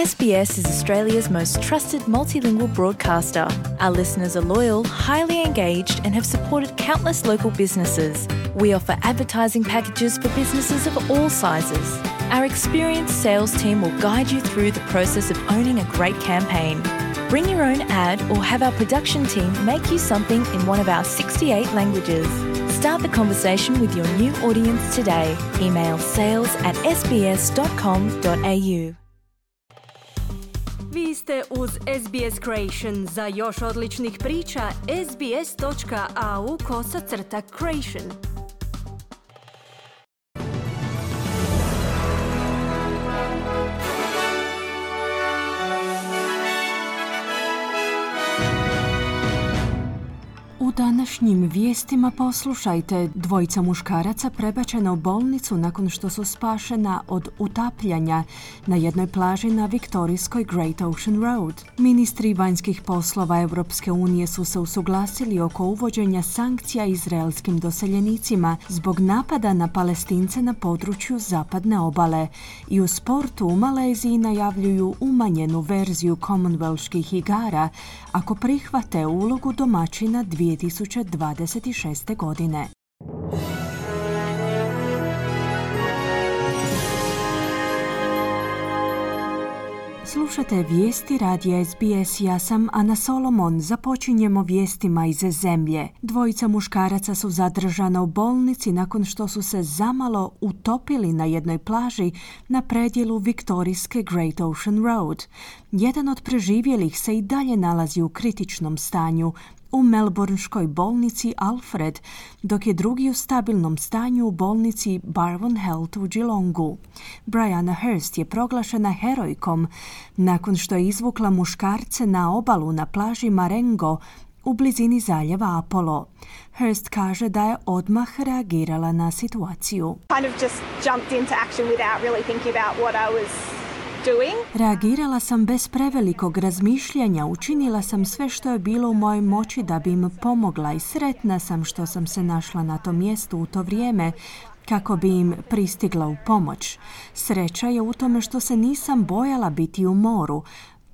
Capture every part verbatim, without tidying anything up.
S B S is Australia's most trusted multilingual broadcaster. Our listeners are loyal, highly engaged, and have supported countless local businesses. We offer advertising packages for businesses of all sizes. Our experienced sales team will guide you through the process of owning a great campaign. Bring your own ad or have our production team make you something in one of our sixty-eight languages. Start the conversation with your new audience today. Email sales at s b s dot com dot a u. Vi ste uz S B S Creation. Za još odličnih priča, sbs.au kosacrta creation. U današnjim vijestima poslušajte, dvojica muškaraca prebačena u bolnicu nakon što su spašena od utapljanja na jednoj plaži na viktorijskoj Great Ocean Road. Ministri vanjskih poslova Europske unije su se usuglasili oko uvođenja sankcija izraelskim doseljenicima zbog napada na Palestince na području zapadne obale. I u sportu u Maleziji najavljuju umanjenu verziju Commonwealthskih igara ako prihvate ulogu domaćina dvije tisuće dvadeset šeste. godine. Slušate vijesti radija S B S, ja sam Ana Solomon. Započinjemo vijestima iz zemlje. Dvojica muškaraca su zadržana u bolnici nakon što su se zamalo utopili na jednoj plaži na predjelu viktorijske Great Ocean Road. Jedan od preživjelih se i dalje nalazi u kritičnom stanju u melbourneškoj bolnici Alfred, dok je drugi u stabilnom stanju u bolnici Barwon Health u Geelongu. Brianna Hurst je proglašena herojkom nakon što je izvukla muškarce na obalu na plaži Marengo u blizini zaljeva Apollo. Hurst kaže da je odmah reagirala na situaciju. Kind of just jumped into action without really thinking about what I was Reagirala sam bez prevelikog razmišljanja, učinila sam sve što je bilo u mojoj moći da bi im pomogla i sretna sam što sam se našla na tom mjestu u to vrijeme kako bi im pristigla u pomoć. Sreća je u tome što se nisam bojala biti u moru,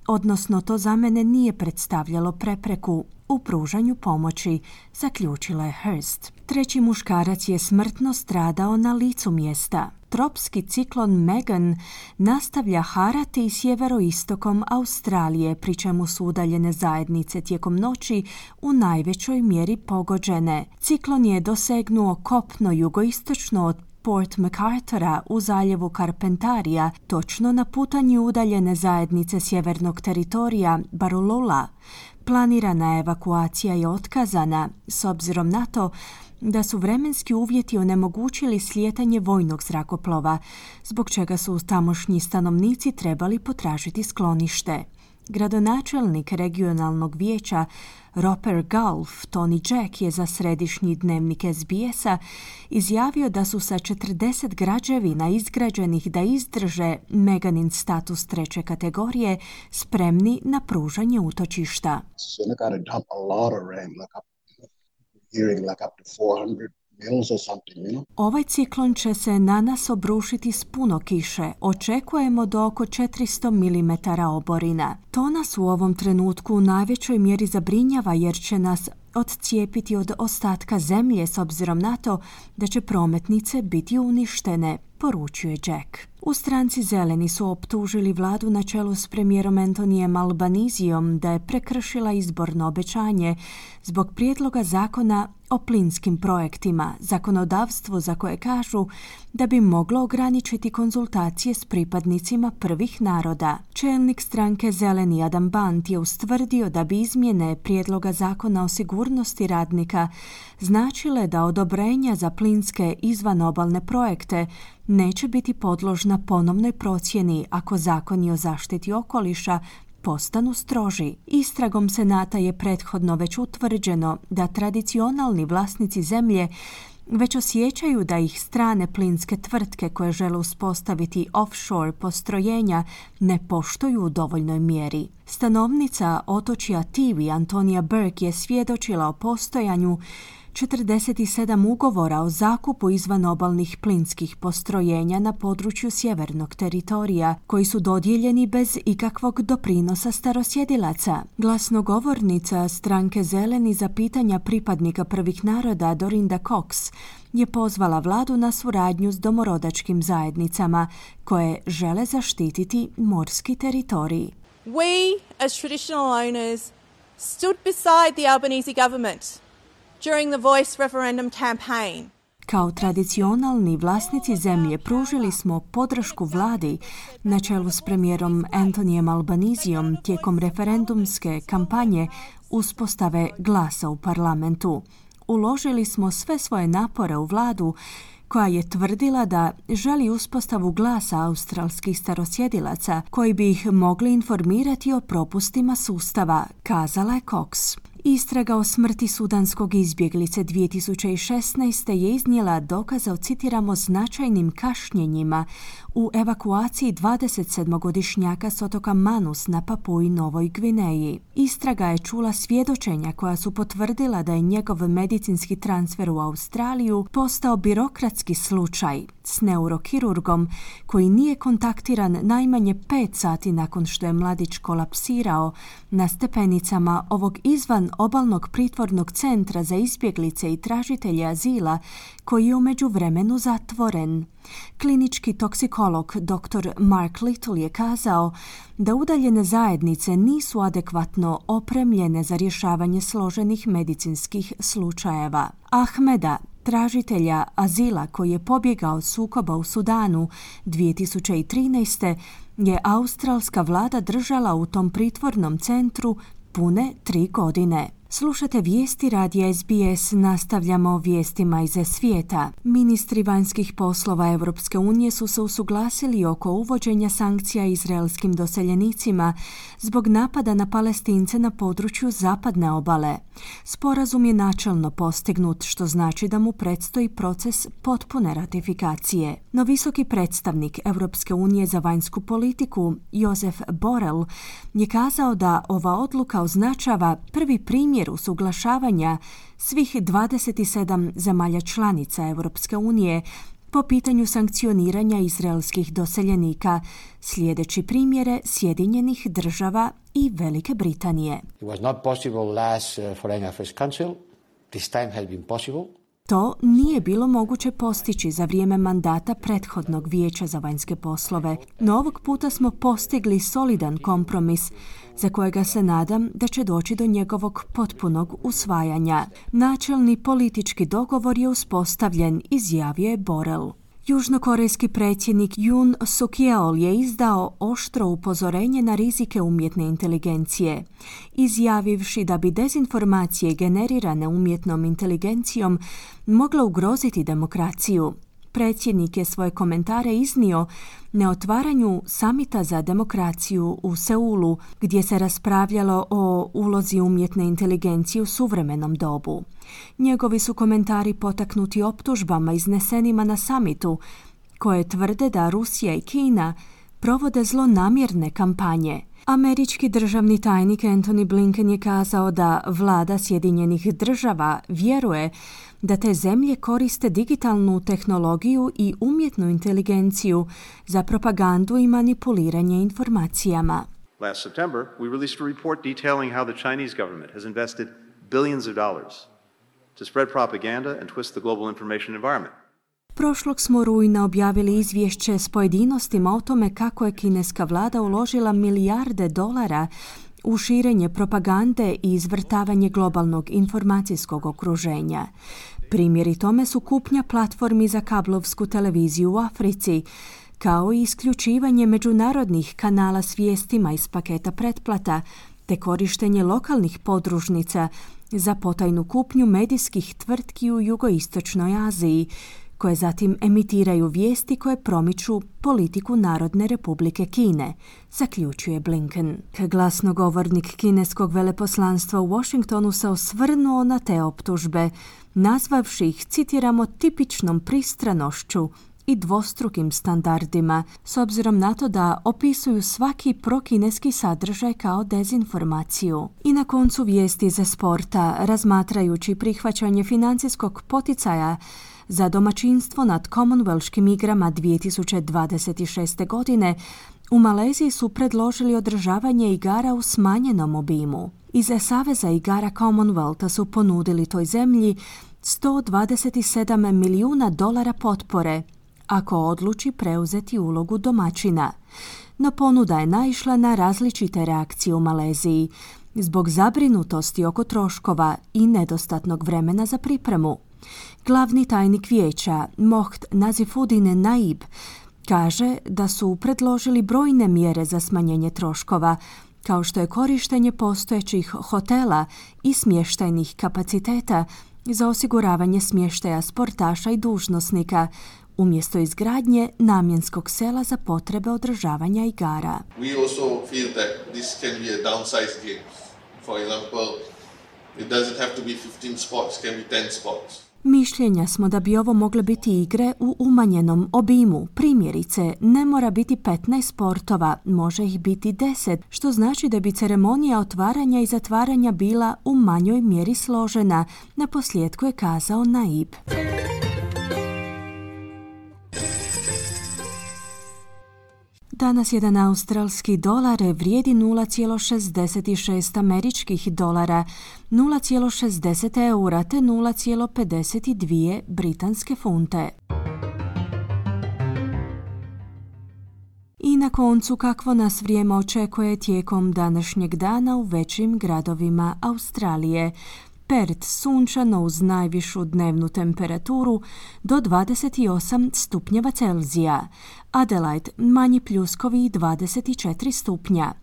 odnosno to za mene nije predstavljalo prepreku u pružanju pomoći, zaključila je Hurst. Treći muškarac je smrtno stradao na licu mjesta. Tropski ciklon Megan nastavlja harati sjeveroistokom Australije, pri čemu su udaljene zajednice tijekom noći u najvećoj mjeri pogođene. Ciklon je dosegnuo kopno jugoistočno od Port MacArthura u zaljevu Carpentarija, točno na putanju udaljene zajednice sjevernog teritorija Barulula. Planirana evakuacija je otkazana s obzirom na to da su vremenski uvjeti onemogućili slijetanje vojnog zrakoplova, zbog čega su tamošnji stanovnici trebali potražiti sklonište. Gradonačelnik regionalnog vijeća Roper Gulf, Tony Jack, je za središnji dnevnik S B S-a izjavio da su sa četrdeset građevina izgrađenih da izdrže Meganin status treće kategorije spremni na pružanje utočišta. Ovaj ciklon će se na nas obrušiti s puno kiše. Očekujemo do oko četiristo milimetara oborina. To nas u ovom trenutku u najvećoj mjeri zabrinjava jer će nas odcijepiti od ostatka zemlje s obzirom na to da će prometnice biti uništene, poručuje Jack. U stranci Zeleni su optužili vladu na čelu s premijerom Antonijem Albanizijom da je prekršila izborno obećanje zbog prijedloga zakona o plinskim projektima, zakonodavstvo za koje kažu da bi moglo ograničiti konzultacije s pripadnicima prvih naroda. Čelnik stranke Zeleni Adam Bant je ustvrdio da bi izmjene prijedloga zakona o sigurnosti radnika značile da odobrenja za plinske izvanobalne projekte neće biti podložna ponovnoj procjeni ako zakoni o zaštiti okoliša postanu stroži. Istragom Senata je prethodno već utvrđeno da tradicionalni vlasnici zemlje već osjećaju da ih strane plinske tvrtke koje žele uspostaviti offshore postrojenja ne poštuju u dovoljnoj mjeri. Stanovnica otočja Tiwi Antonija Burke je svjedočila o postojanju četrdeset sedam ugovora o zakupu izvanobalnih plinskih postrojenja na području sjevernog teritorija, koji su dodijeljeni bez ikakvog doprinosa starosjedilaca. Glasnogovornica stranke Zeleni za pitanja pripadnika prvih naroda Dorinda Cox je pozvala vladu na suradnju s domorodačkim zajednicama koje žele zaštititi morski teritorij. We, as traditional owners, stood beside the Albanese government during the Voice referendum campaign. Kao tradicionalni vlasnici zemlje pružili smo podršku vladi na čelu s premijerom Antonijem Albanizijom tijekom referendumske kampanje uspostave glasa u parlamentu. Uložili smo sve svoje napore u vladu koja je tvrdila da želi uspostavu glasa australskih starosjedilaca koji bi ih mogli informirati o propustima sustava, kazala je Cox. Istraga o smrti sudanskog izbjeglice dvije tisuće šesnaeste. je iznijela dokaze o, citiramo, značajnim kašnjenjima u evakuaciji dvadesetsedmogodišnjaka s otoka Manus na Papui Novoj Gvineji. Istraga je čula svjedočenja koja su potvrdila da je njegov medicinski transfer u Australiju postao birokratski slučaj s neurokirurgom koji nije kontaktiran najmanje pet sati nakon što je mladić kolapsirao na stepenicama ovog izvan obalnog pritvornog centra za izbjeglice i tražitelje azila koji je u međuvremenu zatvoren. Klinički toksikolog doktor Mark Little je kazao da udaljene zajednice nisu adekvatno opremljene za rješavanje složenih medicinskih slučajeva. Ahmeda, tražitelja azila koji je pobjegao od sukoba u Sudanu dvije tisuće trinaeste. je australska vlada držala u tom pritvornom centru pune tri godine. Slušate vijesti radija S B S, nastavljamo vijestima iz svijeta. Ministri vanjskih poslova Europske unije su se usuglasili oko uvođenja sankcija izraelskim doseljenicima zbog napada na Palestince na području zapadne obale. Sporazum je načelno postignut, što znači da mu predstoji proces potpune ratifikacije. No visoki predstavnik Europske unije za vanjsku politiku, Josef Borrell, je kazao da ova odluka označava prvi primjer usuglašavanja svih dvadeset sedam zemalja članica Europske unije po pitanju sankcioniranja izraelskih doseljenika, slijedeći primjere Sjedinjenih država i Velike Britanije. It was not possible last uh, Foreign Affairs Council. This time has been possible. To nije bilo moguće postići za vrijeme mandata prethodnog vijeća za vanjske poslove, no ovog puta smo postigli solidan kompromis za kojega se nadam da će doći do njegovog potpunog usvajanja. Načelni politički dogovor je uspostavljen, izjavio je Borrell. Južnokorejski predsjednik Yoon Suk-yeol je izdao oštro upozorenje na rizike umjetne inteligencije, izjavivši da bi dezinformacije generirane umjetnom inteligencijom mogle ugroziti demokraciju. Predsjednik je svoje komentare iznio na otvaranju samita za demokraciju u Seulu, gdje se raspravljalo o ulozi umjetne inteligencije u suvremenom dobu. Njegovi su komentari potaknuti optužbama iznesenima na samitu, koje tvrde da Rusija i Kina provode zlonamjerne kampanje. Američki državni tajnik Antony Blinken je kazao da vlada Sjedinjenih država vjeruje da te zemlje koriste digitalnu tehnologiju i umjetnu inteligenciju za propagandu i manipuliranje informacijama. Last September, we released a report detailing how the Chinese government has invested billions of dollars to spread propaganda and twist the global information environment. Prošlog smo rujna objavili izvješće s pojedinostima o tome kako je kineska vlada uložila milijarde dolara u širenje propagande i izvrtavanje globalnog informacijskog okruženja. Primjeri tome su kupnja platformi za kablovsku televiziju u Africi, kao i isključivanje međunarodnih kanala s vijestima iz paketa pretplata, te korištenje lokalnih podružnica za potajnu kupnju medijskih tvrtki u jugoistočnoj Aziji, koje zatim emitiraju vijesti koje promiču politiku Narodne republike Kine, zaključuje Blinken. Glasnogovornik kineskog veleposlanstva u Washingtonu se osvrnuo na te optužbe, nazvavši ih, citiramo, tipičnom pristranošću i dvostrukim standardima, s obzirom na to da opisuju svaki prokineski sadržaj kao dezinformaciju. I na koncu vijesti za sporta, razmatrajući prihvaćanje financijskog poticaja za domaćinstvo nad Commonwealthskim igrama dvije tisuće dvadeset šeste. godine, u Maleziji su predložili održavanje igara u smanjenom obimu. Iz Saveza igara Commonwealtha su ponudili toj zemlji sto dvadeset sedam milijuna dolara potpore ako odluči preuzeti ulogu domaćina. No ponuda je naišla na različite reakcije u Maleziji zbog zabrinutosti oko troškova i nedostatnog vremena za pripremu. Glavni tajnik vijeća Moht Nazifudin Naib kaže da su predložili brojne mjere za smanjenje troškova, kao što je korištenje postojećih hotela i smještajnih kapaciteta za osiguravanje smještaja sportaša i dužnosnika, umjesto izgradnje namjenskog sela za potrebe održavanja igara. We also feel that this can be a downsized game. For example, it doesn't have to be fifteen sports, can be ten sports. Mišljenja smo da bi ovo mogle biti igre u umanjenom obimu. Primjerice, ne mora biti petnaest sportova, može ih biti deset, što znači da bi ceremonija otvaranja i zatvaranja bila u manjoj mjeri složena, na posljedku je kazao Naib. Danas jedan australski dolar vrijedi nula zarez šezdeset šest američkih dolara, nula zarez šezdeset eura te nula zarez pedeset dvije britanske funte. I na koncu kakvo nas vrijeme očekuje tijekom današnjeg dana u većim gradovima Australije. Perth sunčano uz najvišu dnevnu temperaturu do dvadeset osam stupnjeva Celzija, Adelaide manji pljuskovi dvadeset četiri stupnja.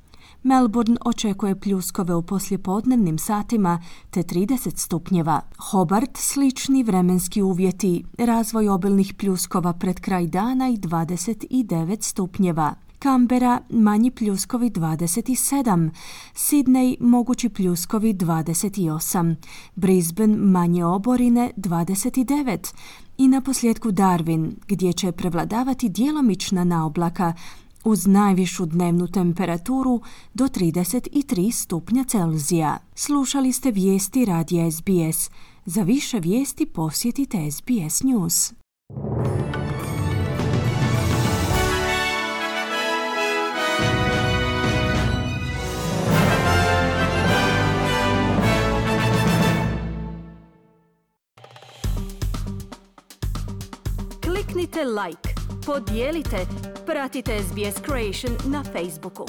Melbourne očekuje pljuskove u poslijepodnevnim satima te trideset stupnjeva. Hobart slični vremenski uvjeti, razvoj obilnih pljuskova pred kraj dana i dvadeset devet stupnjeva. Canberra manji pljuskovi dvadeset sedam, Sydney mogući pljuskovi dvadeset osam, Brisbane manje oborine dvadeset devet i na posljedku Darwin gdje će prevladavati djelomična naoblaka uz najvišu dnevnu temperaturu do trideset tri stupnja Celzija. Slušali ste vijesti radija S B S. Za više vijesti posjetite S B S News. Kliknite like, podijelite, pratite S B S Creation na Facebooku.